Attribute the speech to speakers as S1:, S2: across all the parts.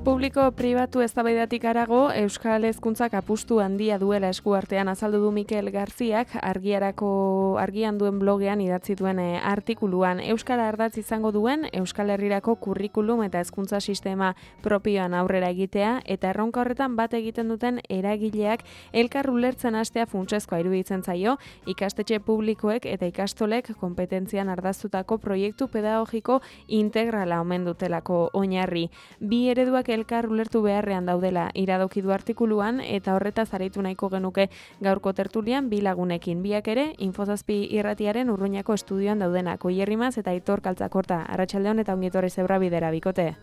S1: Publiko-pribatu eztabaidatik harago, Euskal Hezkuntzak apustu handia duela eskuartean azaldu du Mikel Garziak argian duen blogean idatzi duen artikuluan. Euskara ardatz izango duen Euskal Herrirako kurrikulum eta hezkuntza sistema propioan aurrera egitea eta erronka horretan bat egiten duten eragileak elkar ulertzen hastea funtsezkoa iruditzen zaio, ikastetxe publikoek eta ikastolek konpetentzian ardaztutako proiektu pedagogiko integrala omen dutelako oinarri. Bi ereduak elkar ulertu beharrean daudela iradoki du artikuluan eta horretaz aritu nahiko genuke gaurko tertulian bi lagunekin. Biak ere Infozazpi irratiaren Urruñako estudioan daudenak. Oier Rimaz eta Aitor Kaltzakorta. Arratsaldeon eta ongi etorri Zebrabidera bikote.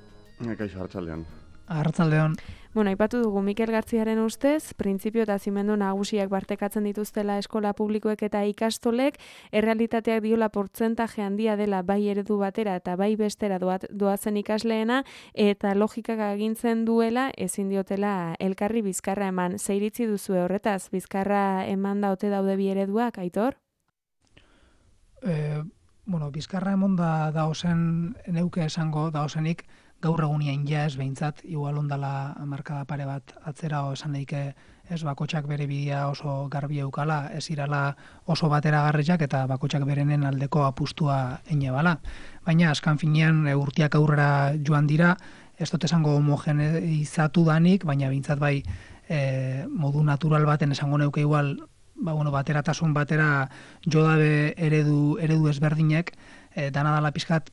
S2: Kaixo, arratsaldeon.
S3: Arratsaldeon.
S1: Bueno, aipatu dugu Mikel Garziaren ustez, printzipio eta zimendu nagusiak partekatzen dituztela eskola publikoek eta ikastolek, errealitateak diola portzentaje handia dela bai eredu batera eta bai bestera doazen ikasleena, eta logikak agintzen duela ezin diotela elkarri bizkarra eman. Ze iritzi duzue horretaz, bizkarra eman ote daude bi ereduak, Aitor?
S3: Bizkarra emon da ozen neuke esango da ozenik, gaur egunian ja ez behintzat, igual ondala markada pare bat atzera esan daike ez bakotxak bere bidea oso garbi eukala, ez irala oso bateragarriak eta bakotxak berenen aldeko apustua ene bala. Baina askan finean urtiak aurrera joan dira, ez dut esango homogeneizatu danik, baina behintzat bai modu natural baten esango neuke igual bateratasun batera jodabe eredu ezberdinek, dana dala pizkat,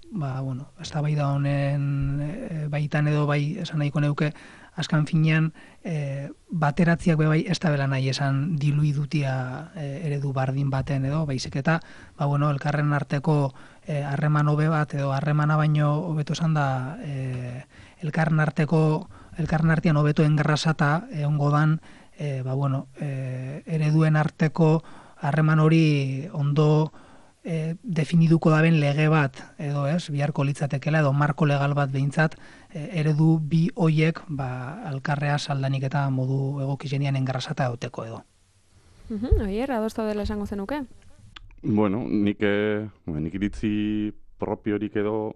S3: eztabaida honen baitan edo bai esan nahiko neuke, azkan finean bateratziak bai ez da bela nahi esan diluidutia eredu bardin baten edo, baizik eta elkarren arteko harreman hobe bat edo harremana baino hobeto esan da elkarren artean hobeto engarrasata egongo dan ereduen arteko harreman hori ondo definiduko daben lege bat edo biharko litzatekela edo marko legal bat behintzat eredu bi hoiek alkarrea saldanik eta modu egokizenian engarrasata egoteko edo.
S1: Oier, adosta dela esango zenuke?
S2: Nik iritzi propiorik edo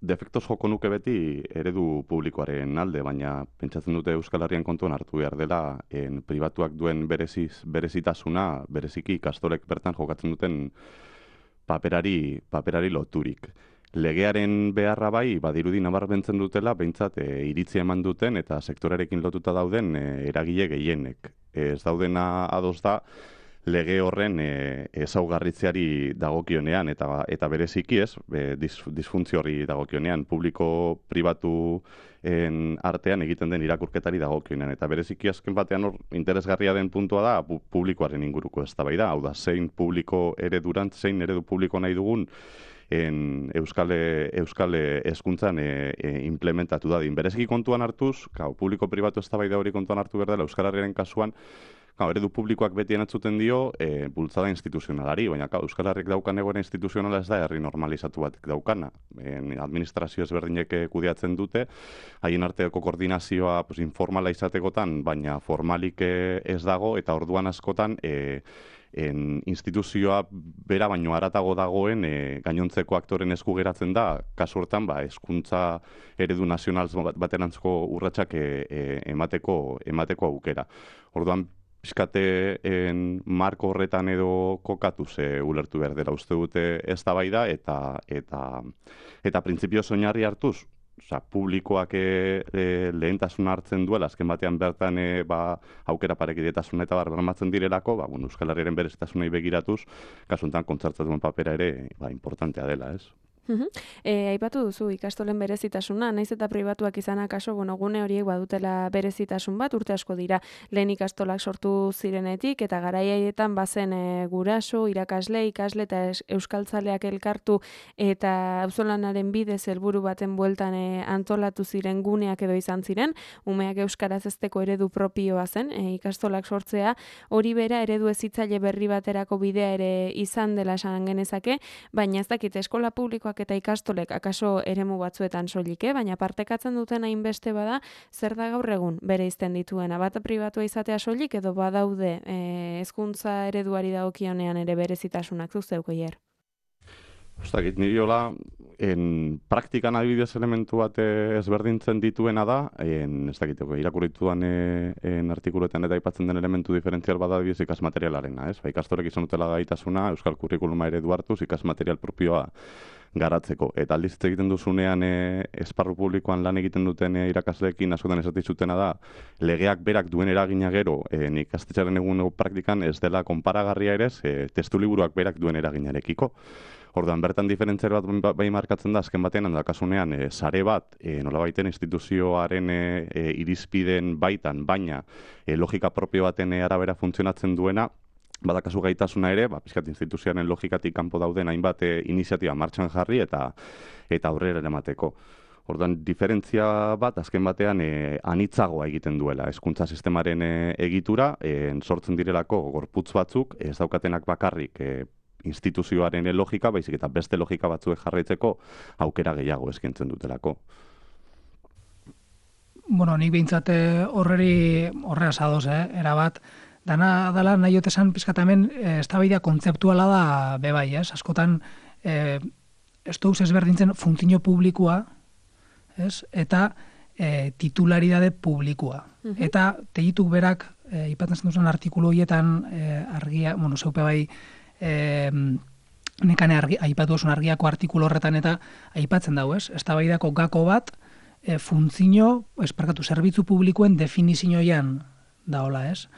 S2: defektoz joko nuke beti eredu publikoaren alde, baina pentsatzen dute Euskal Herrian kontuan hartu behar dela pribatuak duen berezitasuna, bereziki ikastolek bertan jokatzen duten paperari loturik. Legearen beharra bai, badirudi nabarmentzen dutela, behintzat iritzia eman duten eta sektorearekin lotuta dauden eragile gehienek. Ez daudena ados da, lege horren ezaugarritzeari dagokionean eta bereziki disfuntzio horri dagokionean publiko-pribatu artean egiten den irakurketari dagokionean eta bereziki azken batean hor interesgarria den puntua da publikoaren inguruko eztabaida, hau da zein publiko eredurant, zein eredu publiko nahi dugun Euskal hezkuntzan implementatu dadin. Bereziki kontuan hartuz, publiko-pribatu eztabaida hori kontuan hartu behar dela Euskal Herriaren kasuan, eredu publikoak beti enatzuten dio bultzada instituzionalari, baina Euskal Herrik daukan egoera instituzionala ez da herri normalizatu bat daukana. Administrazio ezberdinek kudeatzen dute, haien arteko koordinazioa informala izatekotan, baina formalik ez dago, eta orduan askotan instituzioa bera baino haratago dagoen gainontzeko aktoren esku geratzen da, kasu hortan hezkuntza eredu nazional baterantzko urratsak emateko aukera. Orduan pixkate marko horretan edo kokatuz ulertu behar dela uste dute eztabaida eta printzipioz oinarri hartuz, publikoak lehentasuna hartzen duela, azken batean bertan aukera parekidetasuna eta bermatzen direlako, Euskal Herriaren berezitasunei begiratuz, kasu honetan kontzertatuen papera ere importantea dela, ez?
S1: Aipatu duzu ikastolen berezitasuna, naiz eta pribatuak izanak kaso, gune horiek badutela berezitasun bat, urte asko dira lehen ikastolak sortu zirenetik, eta garaiaietan bazen guraso, irakasle, ikasle eta euskaltzaleak elkartu eta auzolanaren bidez helburu baten bueltan antolatu ziren guneak edo izan ziren, umeak euskaraz hezteko eredu propioa zen, ikastolak sortzea, hori bera eredu hezitzaile berri baterako bidea ere izan dela esan genezake, baina ez dakit eskola publikoak eta ikastolek akaso eremu batzuetan soilik, baina partekatzen duten hainbeste bada, zer da gaur egun bereizten dituena, bat pribatua izatea soilik edo badaude hezkuntza ereduari dagokionean ere berezitasunak zu zeuk Oier?
S2: Ostakit, niri hola, praktikan adibidez elementu bat ezberdintzen dituena da, ez dakiteko, irakurrituan artikuluetan eta aipatzen den elementu diferentzial bada adibidez ikasmaterialarena, ez? Ikastorek izan dutela gaitasuna, euskal kurrikuluma eredu hartuz, ikasmaterial propioa garatzeko. Eta aldiz hitz egiten duzunean esparru publikoan lan egiten duten irakasleekin askotan esatizutena da, legeak berak duen eragina gero, ikastetxearen egungo praktikan ez dela konparagarria ere, testu liburuak berak duen eraginarekiko. Orduan, bertan diferentziar bat bai markatzen da, azken batean, handakasunean, sare bat, nolabaiten instituzioaren irizpideen baitan, baina logika propio baten arabera funtzionatzen duena, badakazu gaitasuna ere, pixkat instituzioaren logikatik kanpo dauden hainbat iniziatiba martxan jarri eta aurrera eramateko. Orduan, diferentzia bat, azken batean, anitzagoa egiten duela. Hezkuntza sistemaren egitura, sortzen direlako gorputz batzuk, ez daukatenak bakarrik instituzioaren logika, baizik eta beste logika batzuek jarraitzeko aukera gehiago eskaintzen dutelako.
S3: Bueno, nik behintzat horrea sadoz, erabat. Dana dela nahi otesan pizkatamen eztabaida kontzeptuala da bebai, ez? Askotan ez duz ezberdintzen funtzio publikoa, ez? Eta titularidade publikoa. Eta tegituk berak, ipatzen zen artikulu horietan argia, zeupe bai, nekane aipatu osun argiako artikulu horretan eta aipatzen dago, ez? Eztabaidako gako bat zerbitzu publikoen definizioan daola, ez?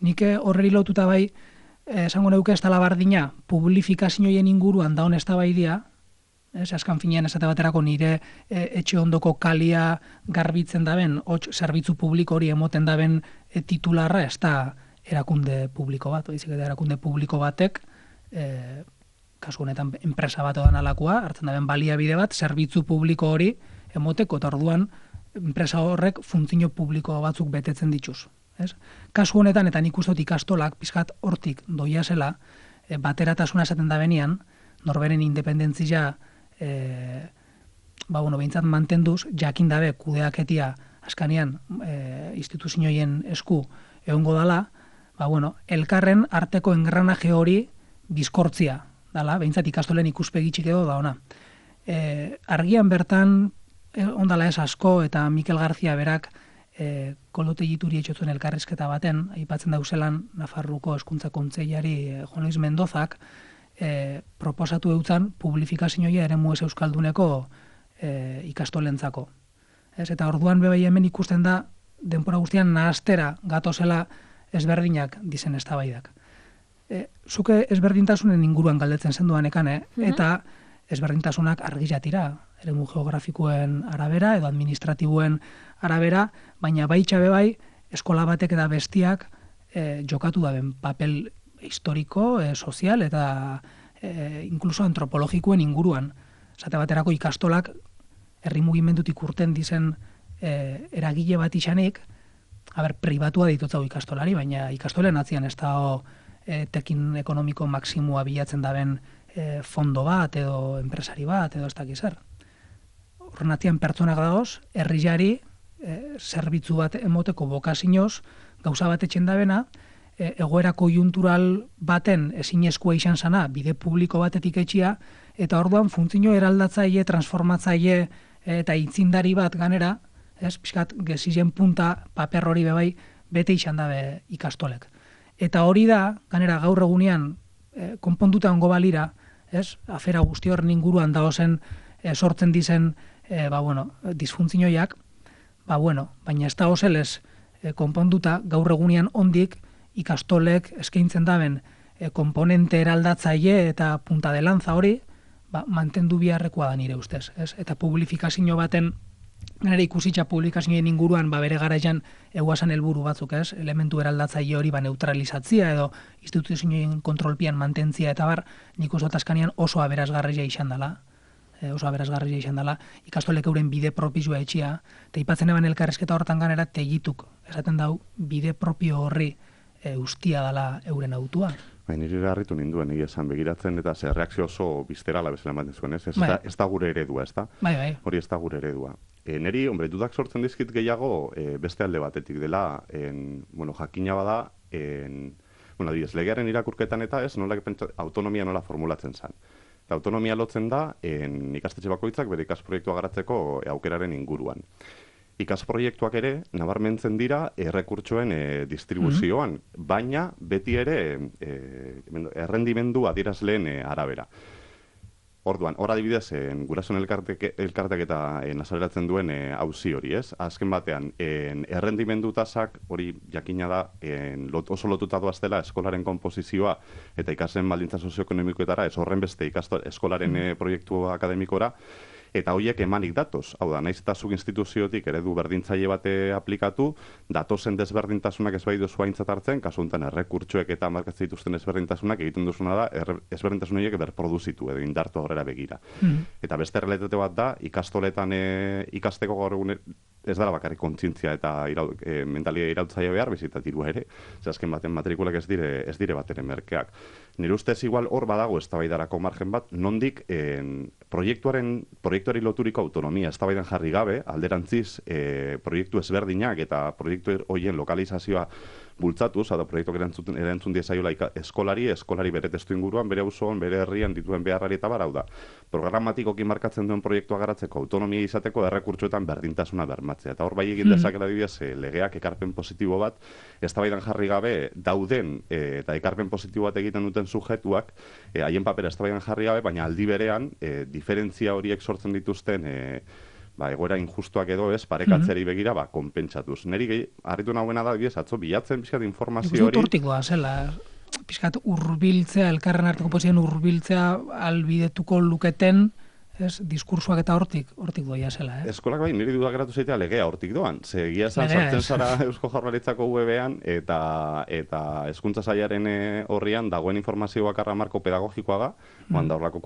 S3: Nik horreri lotuta bai, esango neuke ez dela bardina, publifikazioen inguruan daun eztabaidia, ez? Azkan finean esate baterako nire etxe ondoko kalia garbitzen daben, zerbitzu publiko hori emoten daben titularra, ez da erakunde publiko bat, baizik eta erakunde publiko batek, kasu honetan enpresa bat odan alakoa, hartzen daben baliabide bat, zerbitzu publiko hori emoteko, eta orduan enpresa horrek funtzio publiko batzuk betetzen dituz. Kasu honetan, eta nik uste dut ikastolak, pizkat hortik doia zela, bateratasuna esaten da benian, norberen independentzia behintzat mantenduz, jakin dabe kudeaketia askanean instituzioen esku egongo dala, elkarren arteko engranaje hori bizkortzia dala, behintzat ikastolen ikuspegitxik edo da ona. Argian bertan, ondala ez asko, eta Mikel Garzia berak kolote jituri etxotzen elkarrizketa baten, aipatzen dauzelan Nafarruko Hezkuntza Kontseilari Juan Luis Mendozak proposatu eutzan publifikazioia eremu ez euskalduneko ikastolentzako. Eta orduan bebai hemen ikusten da denbora guztian nahastera gatozela ezberdinak dizen eztabaidak. Zuke ezberdintasunen inguruan galdetzen zenduan ekan, eta ezberdintasunak argizatira, eremu geografikoen arabera edo administratiboen arabera, baina baitxabe bai eskola batek eta bestiak jokatu daben papel historiko, sozial eta inkluso antropologikoen inguruan. Zate baterako ikastolak herri mugimendutik urten dizen eragile bat izanik, pribatua ditutzago ikastolari, baina ikastolen atzian ez da tekin ekonomiko maksimua bilatzen daben fondo bat edo enpresari bat edo ez dakiz zer. Horren atzian pertsonak dagoz, herriari zerbitzu bat emoteko bokazinoz gauza bat etxen dabena, egoera konjuntural baten ezinezkoa izan zana bide publiko batetik etxia, eta orduan funtzio eraldatzaile, transformatzaile eta itzindari bat ganera, pixkat gezizien punta paper hori bebai bete izan dabe ikastolek. Eta hori da, ganera gaur egunean konponduta ongo balira, afera guzti horren inguruan dagozen sortzen dizen disfuntzioiak, baina ez da ozelez konponduta gaur egunean ondik ikastolek eskaintzen daben komponente eraldatzaile eta punta de lanza hori, mantendu biharrekoa da nire ustez, ez? Eta publifikazio baten nire ikusitza publikazioen inguruan bere garaian eguazan helburu batzuk, ez? Elementu eraldatzaile hori neutralizatzia edo instituzioen kontrolpian mantentzia eta bar, nik uste azkanean oso aberasgarria izan dela. Ikastolek euren bide propizua etxia, eta ipatzen eban elkarrezketa hortan ganera tegituk, esaten dau, bide propio horri ustia dela euren autua.
S2: Niri harritu ninduen, esan begiratzen eta ze reakzio oso bizterala bezala ematen zuen, ez? Ez da gure eredua, ez da?
S3: Bai.
S2: Hori ez da gure eredua. Neri, dudak sortzen dizkit gehiago beste alde batetik dela, jakina bada, legearen irakurketan eta ez, autonomia nola formulatzen zen. Autonomia lotzen da ikastetxe bakoitzak bere ikasproiektua garatzeko aukeraren inguruan. Ikasproiektuak ere nabarmentzen dira errekurtsoen distribuzioan, baina beti ere errendimendu adierazleen arabera. Orduan, hor adibidez, gurasoen elkartek eta azaleratzen duen auzi hori, ez? Azken batean, errendimendu tasak hori jakina da oso lotuta doaztela eskolaren konposizioa eta ikasleen baldintza sozioekonomikoetara, ez horren beste eskolaren proiektu akademikora, eta horiek emanik datoz. Hau da, naiz eta zuk instituziotik eredu berdintzaile bate aplikatu, datozen desberdintasunak ez bai duzu aintzat hartzen, kasu honetan errekurtsoek eta markatzen dituzten ezberdintasunak egiten duzuna da, ezberdintasun horiek berproduzitu edo indartu aurrera begira. Eta beste errealitate bat da, ikastoletan ikasteko gaur egun ez dara bakarrik kontzientzia eta mentalia irautzaia behar, bizita dirua ere, azken baten matrikulak ez dire bat ere merkeak. Nire ustez igual hor badago eztabaidarako margen bat, nondik proiektuari loturiko autonomia eztabaidan jarri gabe, alderantziz proiektu ezberdinak eta proiektu horien lokalizazioa bultzatuz, eta proiektuak erantzun diezaiola eskolari bere testu inguruan, bere auzoan, bere herrian dituen beharrari eta barau da. Programatikoki markatzen duen proiektua garatzeko autonomia izateko errekurtsoetan berdintasuna bermatzea. Eta hor bai egin dezakela dibidez legeak ekarpen positibo bat, eztabaidan jarri gabe dauden eta ekarpen positibo bat egiten duten sujetuak, haien papera eztabaidan jarri gabe, baina aldi berean diferentzia horiek sortzen dituzten egoera injustuak edo ez, parekatzeri begira, konpentsatuz. Neri harritu nahuena da, atzo bilatzen pixkat informazio hori.
S3: Hortikoa zela, pixkat urbiltzea, elkarren arteko pozien urbiltzea albidetuko luketen, diskursuak eta hortik doia zela.
S2: Eskolak bai, niri dudak geratu zeitea legea hortik doan. Egia esan sartzen zara Eusko Jaurlaritzako webean eta hezkuntza sailaren horrian dagoen informazio bakarra marko pedagogikoa da, da horrelako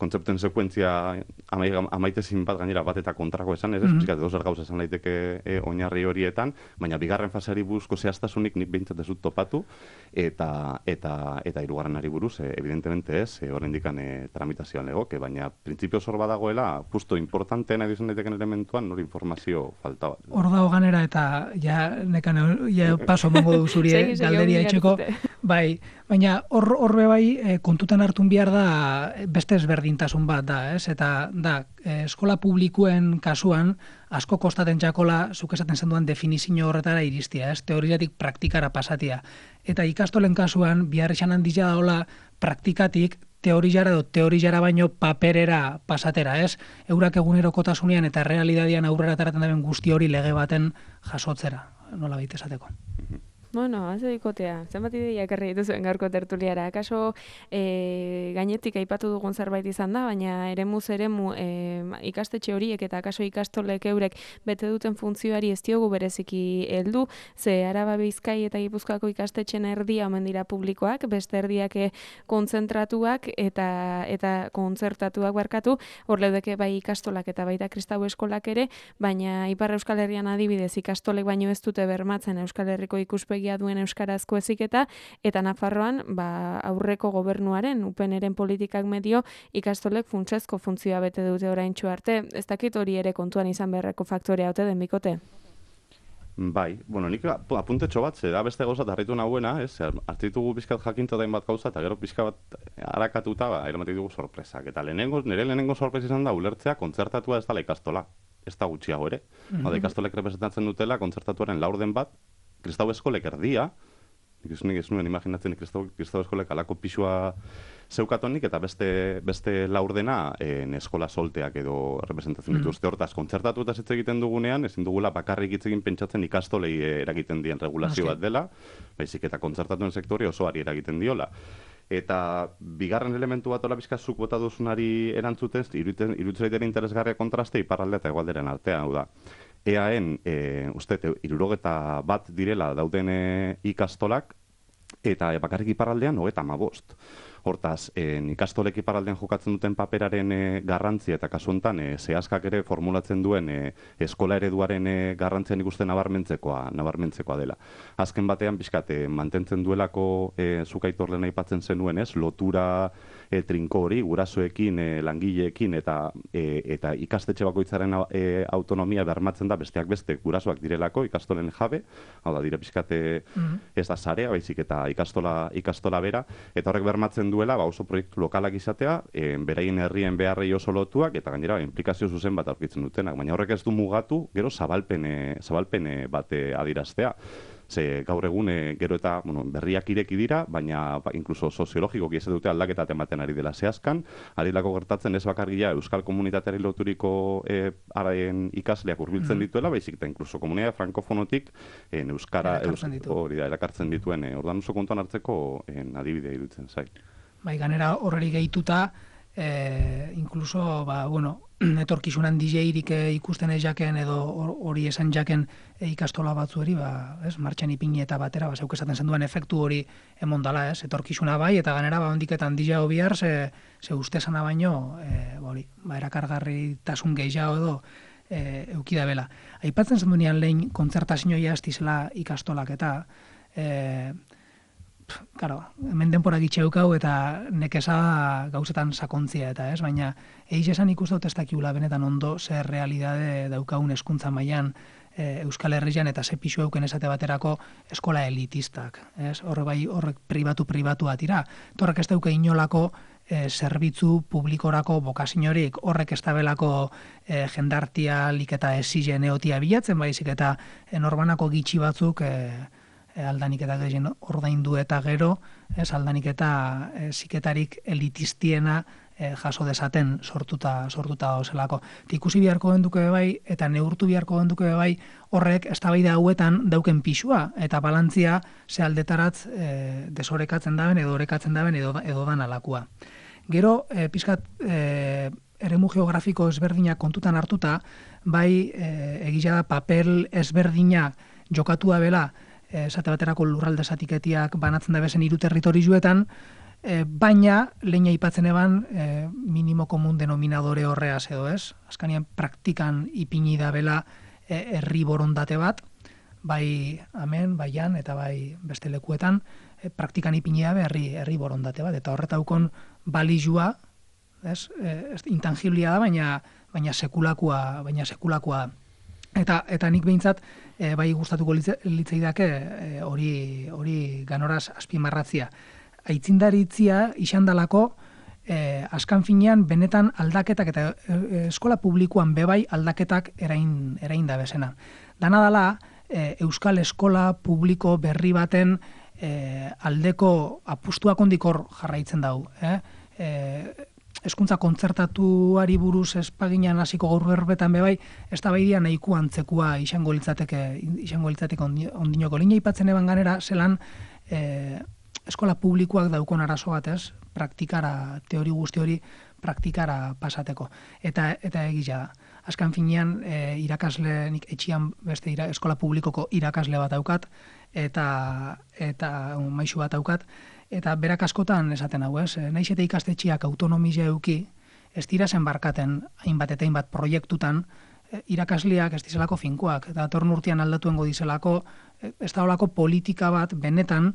S2: kontzeptuen sekuentzia amaitezin bat gainera bat eta kontrako esan, ez pixkat edo zer gauza esan daiteke oinarri horietan, baina bigarren faseari buruzko zehaztasunik nik behintzat ez dut topatu eta hirugarrenari buruz, evidentemente ez, oraindikan tramitazioan legoke, baina printzipio zor badagoela, justo importanteena izan daiteken elementuan, nori informazio falta bat.
S3: Hor dago ganera eta paso mongo du zuri galderia etxeko, bai, baina horbe bai kontutan hartun behar da beste ezberdintasun bat da, ez? Eta da, eskola publikoen kasuan asko kostaten txakola, zuk esaten zenduan definizio horretara iristia, ez? Teoriatik praktikara pasatia. Eta ikastolen kasuan, bihar esan handia daola praktikatik teorijara baino paperera pasatera, ez? Eurak egunerokotasunean eta realidadian aurrera taraten daben guzti hori lege baten jasotzera, nola baita esateko.
S1: Bueno, haze dikotea, zenbat ideia ekarri dituzuen gaurko tertuliara. Akaso gainetik aipatu dugun zerbait izan da, baina eremuz eremu ikastetxe horiek eta akaso ikastolek eurek bete duten funtzioari ez diogu bereziki heldu, ze Araba, Bizkai eta Gipuzkoako ikastetxen erdia omen dira publikoak, beste erdiak kontzentratuak eta kontzertatuak barkatu, hor leudeke bai ikastolak eta baita kristau eskolak ere, baina Ipar Euskal Herrian adibidez ikastolek baino ez dute bermatzen Euskal Herriko ikuspegi duen euskarazko heziketa eta Nafarroan aurreko gobernuaren UPNren politikak medio ikastolek funtsezko funtzioa bete dute oraintsu arte. Ez dakit hori ere kontuan izan beharreko faktorea ote den bikote?
S2: Bai, nik apuntetxo bat, da beste gauza harritu nahuena, hartzitugu pixkat jakinto dain bat gauza, eta gero pixka bat harakatuta, eramatik dugu sorpresak. Eta nire lehenengo sorpresa izan da, ulertzea kontzertatua ez dela ikastola. Ez da gutxiago ere. Ikastolek representatzen dutela kontzertatuaren laurden bat, kristau eskolek erdia, nik ez nuen imaginatzen kristau eskolek alako pixua zeukatonik, eta beste laurdena eskola solteak edo representatzen dituzte hortaz. Kontzertatu eta hitz egiten dugunean, ezin dugula bakarrik hitz egin pentsatzen ikastolei eragiten dien regulazio bat dela, baizik eta kontzertatuen sektore osoari eragiten diola. Eta bigarren elementu bat hola bizka zuk bota duzunari erantzutez, iruditzen interesgarria kontraste iparralde eta hegoalderen artean, hau da. EAen, uste, 61 direla dauden ikastolak, eta bakarrik iparraldean 35. Hortaz, ikastolek iparraldean jokatzen duten paperaren garrantzia eta kasu honetan zehazkak ere formulatzen duen eskola ereduaren garrantzia nik uste nabarmentzekoa dela. Azken batean, pixkat, mantentzen duelako zuk Aitor lehen aipatzen zenuen, lotura trinko hori, gurasoekin, langileekin eta ikastetxe bakoitzaren autonomia bermatzen da besteak beste gurasoak direlako, ikastolen jabe, hau da, dire pixkat ez da sarea, baizik eta ikastola bera, eta horrek bermatzen duela oso proiektu lokalak izatea, beraien herrien beharrei oso lotuak, eta gainera inplikazio zuzen bat aurkitzen dutenak, baina horrek ez du mugatu, gero zabalpen bat adiraztea. Ze gaur egun gero eta berriak ireki dira, baina inkluso soziologikoki ez dute aldaketat ematen ari dela zehazkan, ari lako gertatzen ez bakarria euskal komunitateari loturiko ikasleak hurbiltzen dituela, baizik eta inkluso komunitate frankofonotik euskara erakartzen dituen ordan oso kontuan hartzeko adibidea iruditzen zait.
S3: Bai, ganera horreri gehituta, inkluso, etorkizunan DJ-irik ikusten ez jaken edo hori esan jaken ikastola batzueri, martxan ipini eta batera, zeuk esaten zenduan efektu hori emondala, etorkizuna bai, eta ganera, ondiketan DJ-o bihar, ze uste zana baino, erakargarri tasun gehiago edo eukida bela. Aipatzen zendunean lehen kontzertazioia estizela ikastolak eta, hemen denpora gitxeukau eta nekeza gauzetan sakontzia eta baina eiz esan ikusten dut ez dakiula benetan ondo zer realidade daukagun hezkuntza mailan Euskal Herrian eta ze pisu euken esate baterako eskola elitistak. Horrek pribatu atira. Horrek ez dauka inolako zerbitzu publikorako bokaziorik, horrek ez dabelako jendartialik eta esigen eotia bilatzen baizik eta norbanako gitxi batzuk aldanik eta gehien ordaindu eta gero, aldanik eta ziketarik elitistiena jaso dezaten sortuta ozelako. Ikusi beharko genduke bai, eta neurtu beharko genduke bai, horrek eztabaida hauetan dauken pisua, eta balantzia ze aldetaratz desorekatzen daben, edo orekatzen daben, edo dan alakua. Gero, pizkat, eremu geografiko ezberdinak kontutan hartuta, bai, egizia da papel ezberdinak jokatua bela, esate baterako lurralde zatiketiak banatzen da bezen 3 territorioetan, baina lehen aipatzen eban minimo komun denominadore horreaz edo ez. Azkanean praktikan ipini da bela herri borondate bat, bai hemen, bai jan eta bai beste lekuetan, praktikan ipini da herri borondate bat, eta horretaukon balizua, intangiblia da, baina sekulakoa da. Eta nik behintzat, bai gustatuko litzaidake hori ganoraz azpimarratzia. Aitzindaritzia izandalako, askan finean benetan aldaketak eta eskola publikoan bebai aldaketak erain da bezena. Dana dala, euskal eskola publiko berri baten aldeko apustuak ondikor jarraitzen dau. Hezkuntza kontzertatuari buruz espaginan hasiko gaur berbetan bebai, ez da baidia nahiko antzekua izango litzateke ondinoko. Linea aipatzen eban ganera, zelan eskola publikoak daukon arazo batez, praktikara, teori guzti hori praktikara pasateko. Eta egia da. Azkan finean, irakasle, nik etxian beste eskola publikoko irakasle bat daukat, eta maisu bat daukat, eta berak askotan esaten hau, naiz eta ikastetxeak autonomia euki, ez dira zen barkaten hainbat eta hainbat proiektutan, irakasleak ez dizelako finkoak, eta datorren urtean aldatuengo dizelako, ez da holako politika bat benetan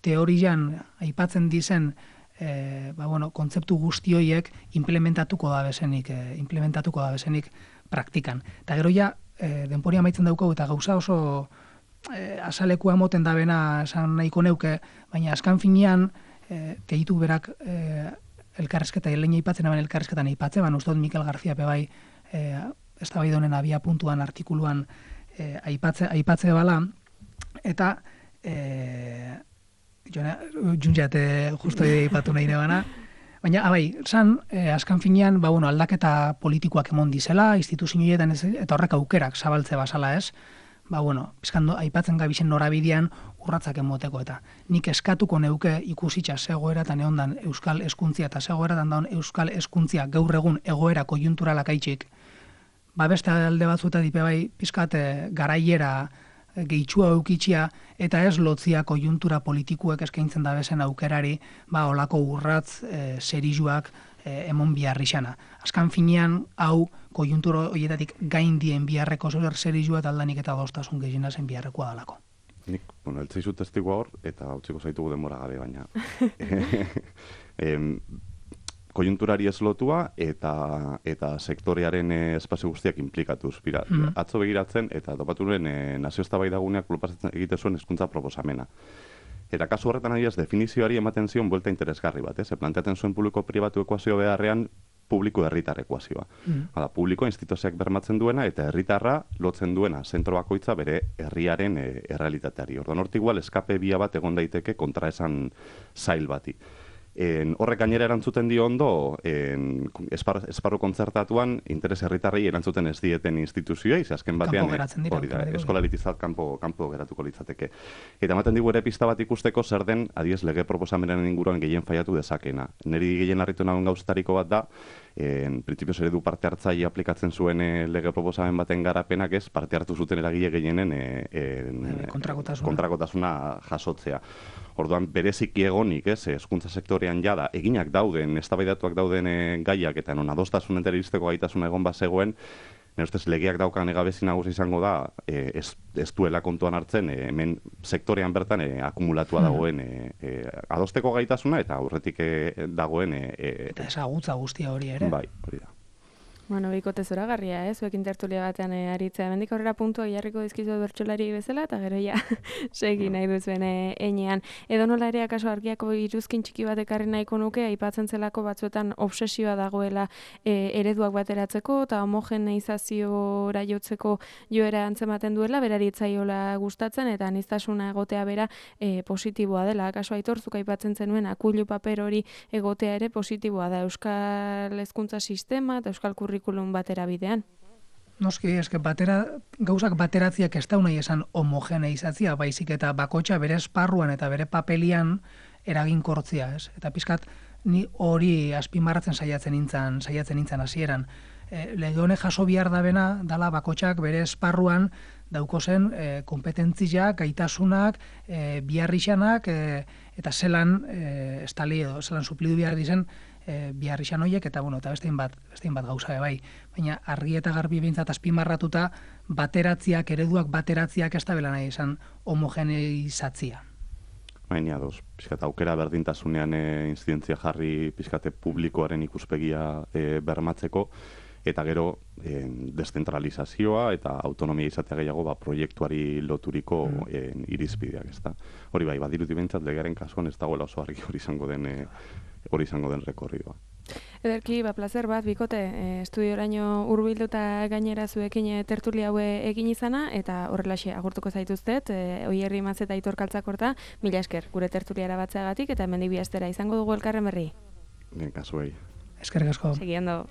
S3: teorian aipatzen dizen kontzeptu guzti horiek implementatuko da bezenik praktikan. Eta gero ja, denporia amaitzen daukau eta gauza oso azalekua moten da bena esan nahiko neuke, baina azkan finean gehitu berak elkarrezketa, lehen aipatzen aben elkarrezketan aipatzen, uste dut Mikel García pebai ez da bai donen abia puntuan artikuluan aipatze bala, eta juntzat justo aipatu nahi nebana, baina, azkan finean, aldaketa politikoak emon dizela, instituzioetan eta horrek aukerak zabaltze basala ez, bizkando aipatzen gabisen norabidean urratzak emoteko eta nik eskatuko neuke ikusitza zegoera eta neondan euskal hezkuntzia eta zegoeratan daun euskal hezkuntzia gaur egun egoera konjunturalak aitxik, beste alde batzuta dipe bai pizkat garaiera gehitxua eukitxia eta ez lotzia konjuntura politikuek eskaintzen da bezen aukerari, olako urratz serizuak emon biharrixana. Azkan finean, hau konjunturo horietatik gaindien biharreko serizua eta aldanik eta adostasun gehiena zen biharrekoa dalako.
S2: Nik, eltzaizu testigua hor, eta utziko zaitugu denbora gabe baina. Konjunturari ez lotua eta sektorearen espazio guztiak implikatuz. Atzo begiratzen eta topatu nuen nazio eztabaidaguneak proposatzen egite zuen hezkuntza proposamena. Eta kasu horretan adibidez definizioari ematen zion buelta interesgarri bat, planteatzen zuen publiko-pribatu ekuazio beharrean publiko-herritar ekuazioa. Hala, publiko instituzioak bermatzen duena eta herritarra lotzen duena zentro bakoitza bere herriaren errealitateari. Orduan hortik igual eskape bia bat egon daiteke kontraesan zail bati. Horrek gainera erantzuten dio ondo, esparru kontzertatuan interes herritarrei erantzuten ez dieten instituzioei, ze azken batean hori da, eskolalitizat kanpo geratuko litzateke. Eta ematen digu ere pista bat ikusteko zer den, adiez lege proposamenen inguruan gehien faiatu dezakena. Neri gehien harritu nagoen gauzetariko bat da, printzipioz eredu parte hartzaile aplikatzen zuen lege proposamen baten garapenak ez, parte hartu zuten eragile gehienen kontrakotasuna jasotzea. Orduan, bereziki egonik, hezkuntza sektorean jada, eginak dauden, eztabaidatuak dauden gaiak eta non adostasun entera iristeko gaitasuna egon bazegoen, nire ustez legeak daukan egabezi nagusi izango da, ez duela kontuan hartzen, hemen sektorean bertan akumulatua dagoen adosteko gaitasuna eta aurretik dagoen...
S3: Eta ezagutza guztia hori ere.
S2: Bai, hori da.
S1: Bueno, bikote zoragarria, zuekin tertulia batean aritzea. Mendik aurrera puntua jarriko dizkizu bertsolari bezala, eta gero ja segi nahi duzuen enean. Edo nola ere akaso argiako iruzkin txiki bat ekarri nahiko nuke, aipatzen zelako batzuetan obsesioa dagoela ereduak bateratzeko, eta homogeneizaziora jotzeko joera antzematen duela, berari etzaiola gustatzen, eta aniztasuna egotea bera positiboa dela. Akaso aitortzuk aipatzen zenuen, akuilu paper hori egotea ere positiboa da. Euskal hezkuntza sistema eta euskal kurrikulum batera bidean.
S3: Noski, eske gauzak bateratziak ez da nahi esan homogeneizatzia, baizik eta bakotxa bere esparruan eta bere papelian eraginkortzia, ez? Eta pizkat ni hori azpimarratzen saiatzen nintzen hasieran. Lege honek jaso behar dabena dala bakotxak bere esparruan daukozen kompetentziak, gaitasunak, biharrixanak eta zelan estali edo zelan suplidu behar dizen biharrixan horiek eta bestein bat gauza bai. Baina argi eta garbi behintzat azpimarratuta bateratziak, ereduak bateratziak ez da bela nahi esan homogeneizatzia.
S2: Baina ados, pixkat aukera berdintasunean inzidentzia jarri pixkate publikoaren ikuspegia bermatzeko, eta gero deszentralizazioa eta autonomia izatea gehiago proiektuari loturiko irizpideak, ezta. Hori bai, badirudi behintzat legearen kasuan ez dagoela oso argi hori izango den rekorridoa.
S1: Ederki, plazer bat, bikote, estudioraino hurbilduta gainera zuekin tertulia haue egin izana, eta horrelaxe agurtuko zaituztet, Oierri Matz eta Aitor Kaltzakorta, mila esker, gure tertuliara batzeagatik, eta hemendik bi astera izango dugu elkarren berri.
S2: Kasuei.
S3: Eskerrik asko.
S1: Segiendo.